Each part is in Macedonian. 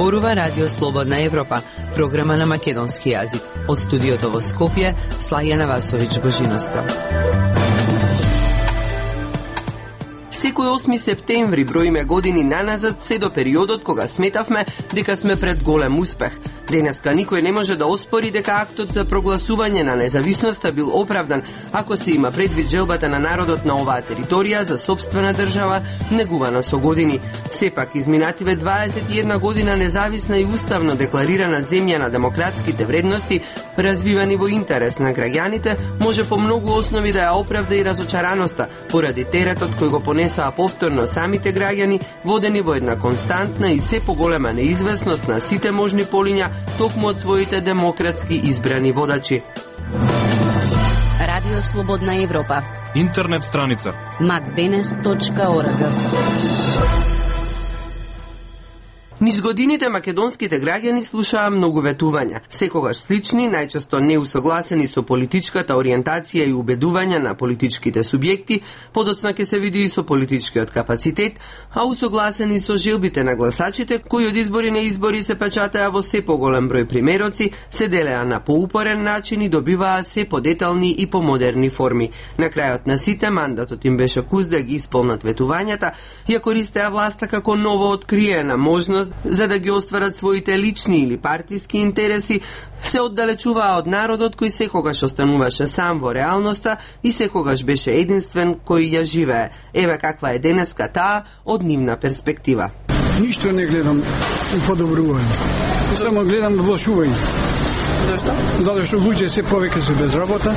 Зборува Радио Слободна Европа, програма на македонски јазик. Од студиото во Скопје, Слајана Васовиќ-Божиновска. Секој 8 септември броиме години наназад, се до периодот кога сметавме дека сме пред голем успех. Денеска никој не може да оспори дека актот за прогласување на независноста бил оправдан, ако се има предвид желбата на народот на оваа територија за сопствена држава, негувана со години. Сепак, изминативе 21 година независна и уставно декларирана земја на демократските вредности, развивани во интерес на граѓаните, може по многу основи да ја оправда и разочараноста, поради теретот кој го понесоа повторно самите граѓани, водени во една константна и се поголема неизвестност на сите можни полиња, токму од своите демократски избрани водачи. Радио Слободна Европа. Интернет страница macdenes.org. Низ годините македонските граѓани слушаа многу ветувања, секогаш слични, најчесто неусогласени со политичката ориентација и убедувања на политичките субјекти, подоцна ќе се види и со политичкиот капацитет, а усогласени со желбите на гласачите, кои од избори на избори се печатаа во се поголем број примероци, се делеа на поупорен начин и добиваа се подетални и помодерни форми. На крајот на сите, мандатот им беше куз да ги исполнат ветувањата, ја користеа власта како ново откриена можност за да ги остварат своите лични или партиски интереси, се оддалечуваа од народот кој секогаш остануваше сам во реалноста и секогаш беше единствен кој ја живее. Еве каква е денеска таа од нивна перспектива. Ништо не гледам и подобрување. Само гледам влошување. Зошто? Затоа што луѓе се повеќе се без работа,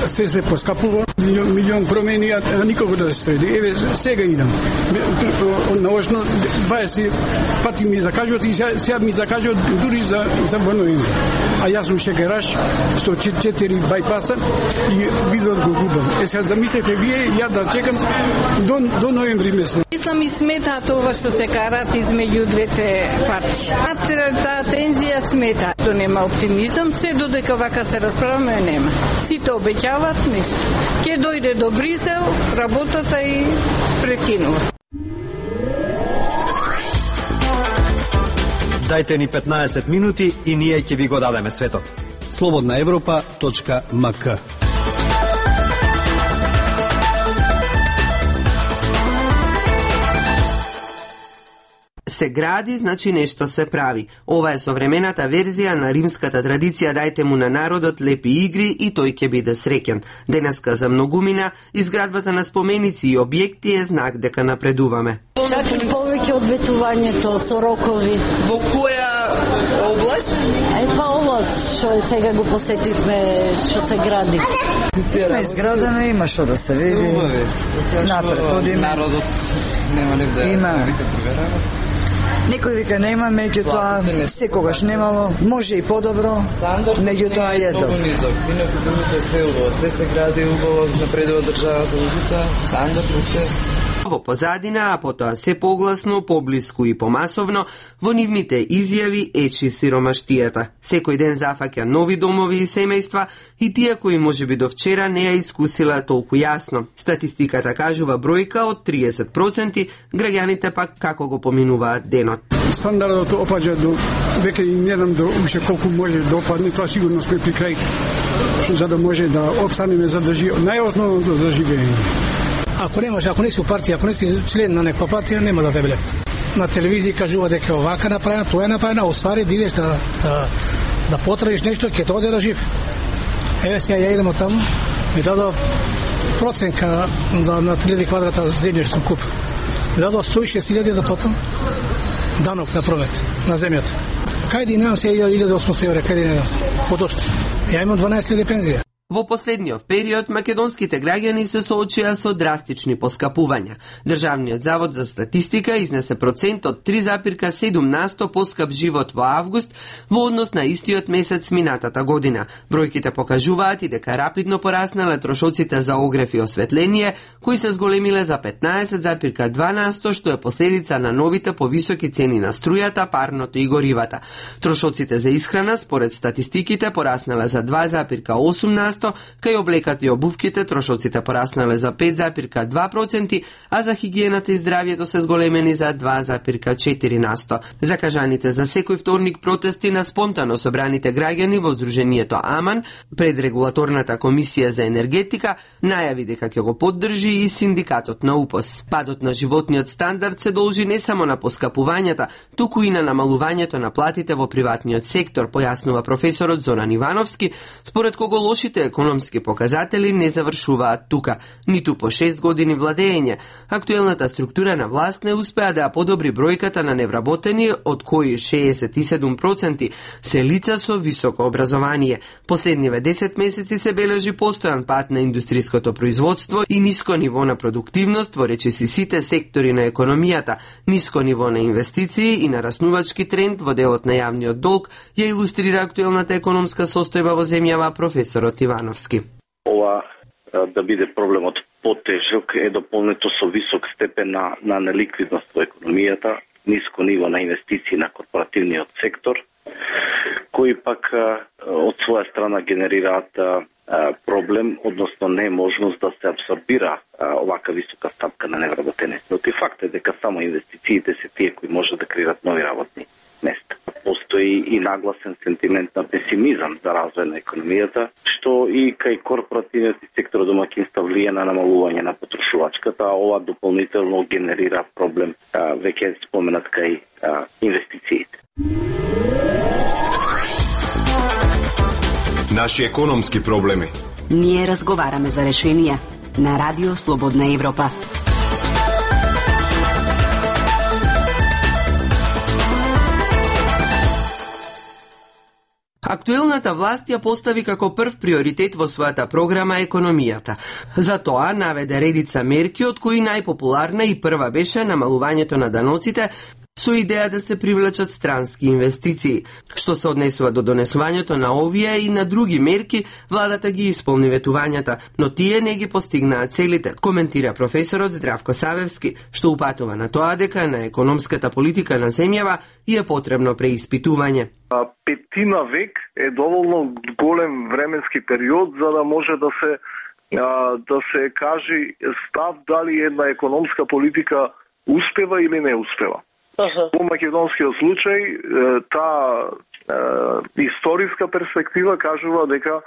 се поскапува, милион промени, а никого да се среди. Еве, сега идам. Наочно 20 пати ми закажуват и сега ми закажуват дури за ноември. А јас сум шекераш, 104 байпаса и видот го губам. Сега замислете вие, ја да чекам до ноември месец. Мислам и смета тоа што се карат измеѓу двете партии. Таа тензија смета. Што нема оптимизам, се додека вака се расправаме нема. Сите обеќават нешто. Ке дојде до Брисел, работата и прекинува. Дајте ни 15 минути и ние ќе ви го дадеме светот. slobodnaevropa.mk. Се гради, значи нешто се прави. Ова е современата верзија на римската традиција "Дајте му на народот лепи игри и тој ќе биде среќен". Денеска за многумина изградбата на споменици и објекти е знак дека напредуваме. Чак и повеќе од ветувањето со рокови. Во која област? Па област што сега го посетивме, што се гради. Има изградено, има што да се види. Напред одиме. Народот нема ли да има. Некој вика нема, меѓутоа секогаш немало, може и подобро, меѓутоа е добро. Многу низок, инаку другото се убаво, се се гради убаво, напредува државата, стандардот е. Во позадина, а потоа се погласно, поблиску и помасовно, во нивните изјави ечи сиромаштијата. Секој ден зафаќа нови домови и семејства и тие кои можеби до вчера не ја искусила толку јасно. Статистиката кажува бројка од 30%, граѓаните пак како го поминуваат денот. Стандардот опаѓа до, веќе и не знам до уште колку може да опадне, тоа сигурно сме при крај, за да може да опстанеме за да живееме, најосновното за живеење. Ако не си у партија, ако не си член на некоја партија, нема да те билет. На телевизија кажува дека овака направено, тоа е направено, оствари да идеш да потраиш нешто, ќе тоа да жив. Еве сега ја идем од таму, ми дадо проценка на 3000 квадрата земја што сум купил. Ми дадо 106.000 да платам данок на промет на земјата. Кајде немам се 1800 евра, кајде немам се? Подошто. Ја имам 12.000 пензија. Во последниот период македонските граѓани се соочија со драстични поскапувања. Државниот завод за статистика изнесе процент од 3,7% поскап живот во август во однос на истиот месец минатата година. Бројките покажуваат и дека рапидно пораснале трошоците за огрев и осветление, кои се зголемиле за 15,2%, што е последица на новите повисоки цени на струјата, парното и горивата. Трошоците за исхрана според статистиките пораснале за 2,8%, 4%, кај облеката и обувките трошоците пораснале за 5,2%, а за хигиената и здравието се зголемени за 2,4%. Закажаните за секој вторник протести на спонтано собраните граѓани во Сдруженијето АМАН пред Регулаторната комисија за енергетика најави дека ќе го поддржи и синдикатот на УПОС. Падот на животниот стандард се должи не само на поскапувањата, туку и на намалувањето на платите во приватниот сектор, појаснува професорот Зоран Ивановски, според кого лошите економски показатели не завршуваат тука, ниту по 6 години владење. Актуелната структура на власт не успеа да ја подобри бројката на невработени, од кои 67% се лица со високо образование. Последниве 10 месеци се бележи постојан пат на индустријското производство и ниско ниво на продуктивност во речиси сите сектори на економијата, ниско ниво на инвестиции и нараснувачки тренд во делот на јавниот долг, ја илустрира актуелната економска состојба во земјава професорот Ивановски. Ова да биде проблемот потежок е дополнето со висок степен на неликвидност во економијата, ниско ниво на инвестиции на корпоративниот сектор, кои пак од своја страна генерираат проблем, односно неможност да се абсорбира овака висока стапка на невработеност. Но факт е дека само инвестициите се тие кои може да креират нови работни места. Постои и нагласен сентимент на песимизам за развој на економијата, што и кај корпоративниот сектор домаќинства влие на намалување на потрошувачката, а ова дополнително генерира проблем веќе споменат кај инвестициите. Наши економски проблеми. Ние разговараме за решенија на Радио Слободна Европа. Актуелната власт ја постави како прв приоритет во својата програма економијата. За тоа наведе редица мерки, од кои најпопуларна и прва беше намалувањето на даноците со идеја да се привлечат странски инвестиции. Што се однесува до донесувањето на овие и на други мерки, владата ги исполни ветувањата, но тие не ги постигнаа целите, коментира професорот Здравко Савевски, што упатува на тоа дека на економската политика на земјава е потребно преиспитување. Петина век е доволно голем временски период за да може да се каже став дали една економска политика успева или не успева. Во македонскиот случај, таа историска перспектива кажува дека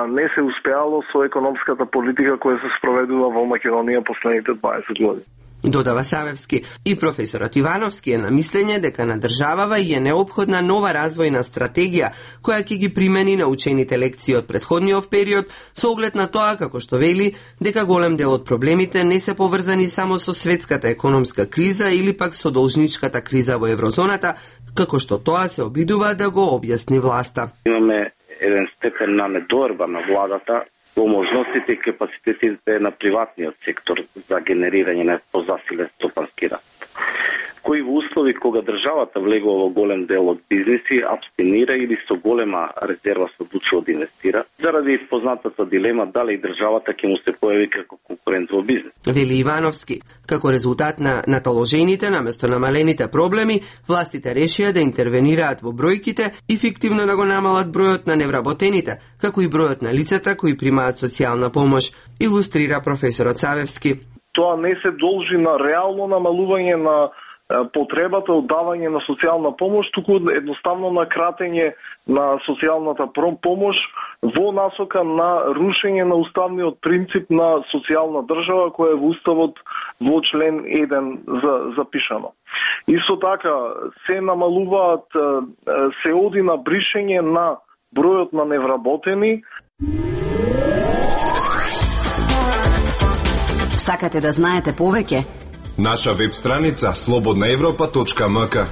не се успеало со економската политика која се спроведува во Македонија последните 20 години. Додава Савевски. И професорот Ивановски е на мислење дека на државава и е неопходна нова развојна стратегија која ќе ги примени научените лекции од претходниот период со оглед на тоа, како што вели, дека голем дел од проблемите не се поврзани само со светската економска криза или пак со должничката криза во еврозоната, како што тоа се обидува да го објасни власта. Имаме еден степен на недоерба на владата во можностите и капацитетите на приватниот сектор за генерирање на позасилен стопански раст, кои во услови кога државата влегува во голем дел од бизниси, абстинира или со голема резерва се одлучува да инвестира, заради познатата дилема дали државата ќе му се појави како конкурент во бизнис. Вели Ивановски. Како резултат на наталожените наместо намалените проблеми, властите решија да интервенираат во бројките и фиктивно да го намалат бројот на невработените, како и бројот на лицата кои примаат социјална помош, илустрира професорот Савевски. Тоа не се должи на реално намалување на потребата од давање на социјална помош, туку едноставно на кратење на социјалната помош во насока на рушење на уставниот принцип на социјална држава која е во уставот во член 1 запишано. Исто така се намалуваат, се оди на бришење на бројот на невработени. Сакате да знаете повеќе? Наша веб страница slobodnaevropa.mk.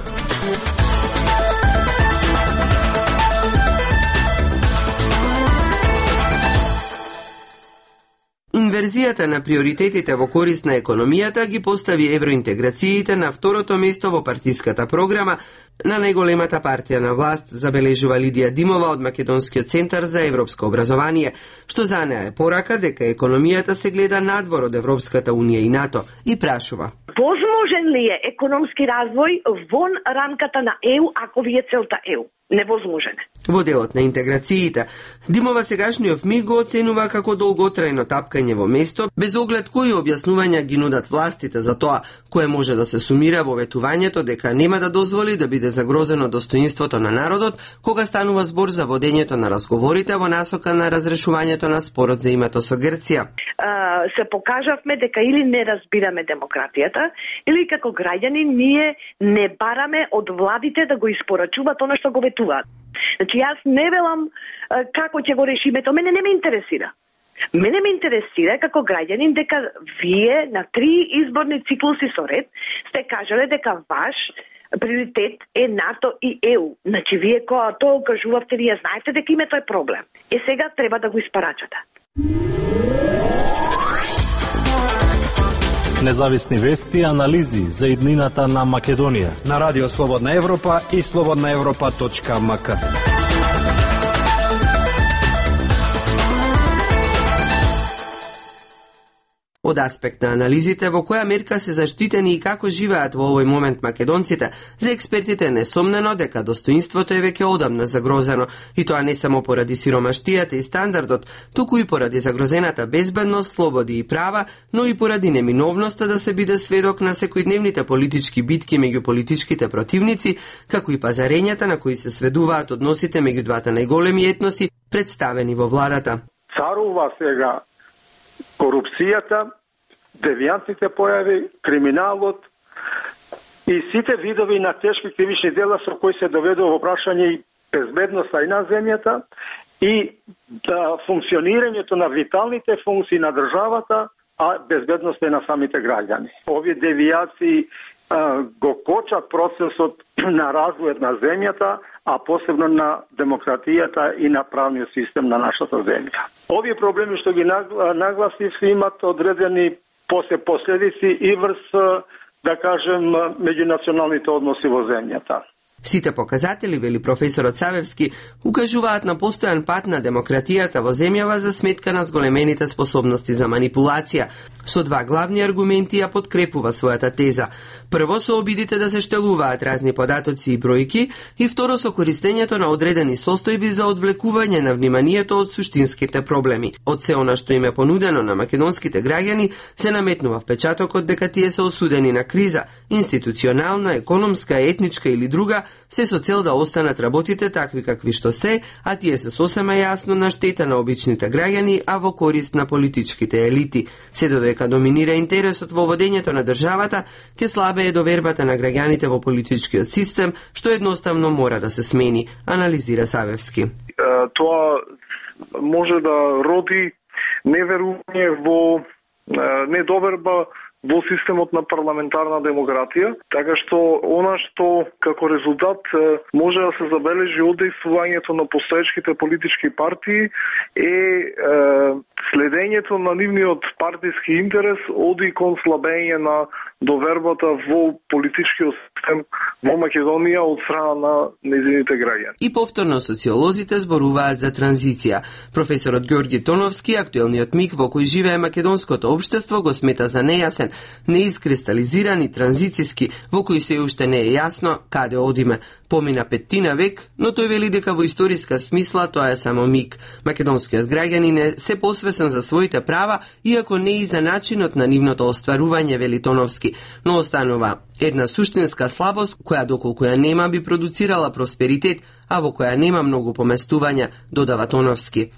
Инверзијата на приоритетите во корист на економијата ги постави евроинтеграциите на второто место во партиската програма на најголемата партија на власт, забележува Лидија Димова од Македонскиот центар за европско образование, што за неа е порака дека економијата се гледа надвор од Европската унија и НАТО и прашува. Возможен ли е економски развој вон рамката на ЕУ ако ви е целта ЕУ? Невозможен е. Во делот на интеграциите, Димова сегашниот МИГ го оценува како долготрајно тапкање во место, без оглед кои објаснувања ги нудат властите за тоа, кое може да се сумира во ветувањето дека нема да дозволи да биде загрозено достоинството на народот, кога станува збор за водењето на разговорите во насока на разрешувањето на спорот за името со Грција. Се покажавме дека или не разбираме демократијата, или како граѓани ние не бараме од владите да го испорачуваат она што го ветуваат. Значи јас не велам како ќе го решиме, тоа мене не ме интересира. Мене ме интересира како граѓанин дека вие на 3 изборни циклуси со ред сте кажале дека ваш приоритет е НАТО и ЕУ. Значи вие кога тоа кажувавте, вие знаете дека името е проблем. Сега треба да го испарачате. Независни вести и анализи за иднината на Македонија на Радио Слободна Европа и slobodnaevropa.mk. Од аспект на анализите во која мерка се заштитени и како живеат во овој момент македонците, за експертите е несомнено дека достоинството е веќе одамна загрозено, и тоа не само поради сиромаштијата и стандардот, туку и поради загрозената безбедност, слободи и права, но и поради неминовноста да се биде сведок на секојдневните политички битки меѓу политичките противници, како и пазарењата на кои се сведуваат односите меѓу двата најголеми етноси представени во владата. Царува сега корупцијата, девијантните појави, криминалот и сите видови на тешки кривични дела со кои се доведува во прашање и безбедноста и на земјата и функционирањето на виталните функции на државата, а безбедноста и на самите граѓани. Овие девијации го кочат процесот на развојот на земјата, а посебно на демократијата и на правниот систем на нашата земја. Овие проблеми што ги нагласив имат одредени последици и врз, да кажем, меѓунационалните односи во земјата. Сите показатели, вели професорот Савевски, укажуваат на постојан пат на демократијата во земјава за сметка на зголемените способности за манипулација. Со 2 главни аргументи ја подкрепува својата теза. Прво со обидите да се штелуваат разни податоци и бројки, и второ со користењето на одредени состојби за одвлекување на вниманието од суштинските проблеми. Од се она што им е понудено на македонските граѓани, се наметнува впечатокот дека тие се осудени на криза, институционална, економска, етничка или друга, се со цел да останат работите такви какви што се, а тие се сосема јасно на штета на обичните граѓани, а во корист на политичките елити. Се додека доминира интересот во водењето на државата, ќе слабее довербата на граѓаните во политичкиот систем, што едноставно мора да се смени, анализира Савевски. Тоа може да роди неверување во недоверба во системот на парламентарна демократија, така што она што како резултат може да се забележи од действувањето на постоечките политички партии е следењето на нивниот партиски интерес оди кон слабење на довербата во политичкиот систем во Македонија од страна на нејзините граѓани. И повторно социолозите зборуваат за транзиција. Професорот Ѓорги Тоновски, актуелниот миг во кој живее македонското општество, го смета за нејасен, неискристализиран и транзициски, во кој се уште не е јасно каде одиме. Помина 5 век, но тој вели дека во историска смисла тоа е само миг. Македонскиот граѓанин е се посвесен за своите права, иако не и за начинот на нивното остварување, вели Тоновски, но останува една суштинска слабост која доколку ја нема би продуцирала просперитет, а во која нема многу поместувања, додава Тоновски.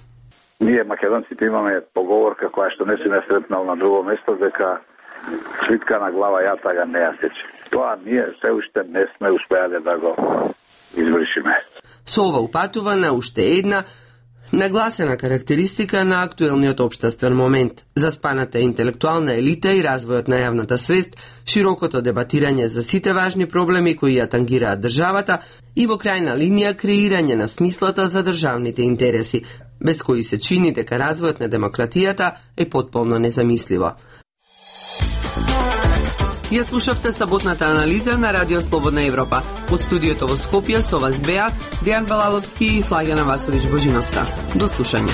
Ние македонците имаме поговорка која што не си не сретнал на друго место, дека свитка на глава јатага не ја сече. Тоа ние се уште не сме успеале да го извршиме. Со ова упатува на уште една нагласена карактеристика на актуелниот општествен момент, заспаната интелектуална елита и развојот на јавната свест, широкото дебатирање за сите важни проблеми кои ја тангираат државата и во крајна линија креирање на смислата за државните интереси, без кои се чини дека развојот на демократијата е потполно незамисливо. Ја слушавте саботната анализа на Радио Слободна Европа. Од студиото во Скопје со вас беа Дејан Балаловски и Слагена Васовиќ Божиновска. До слушање.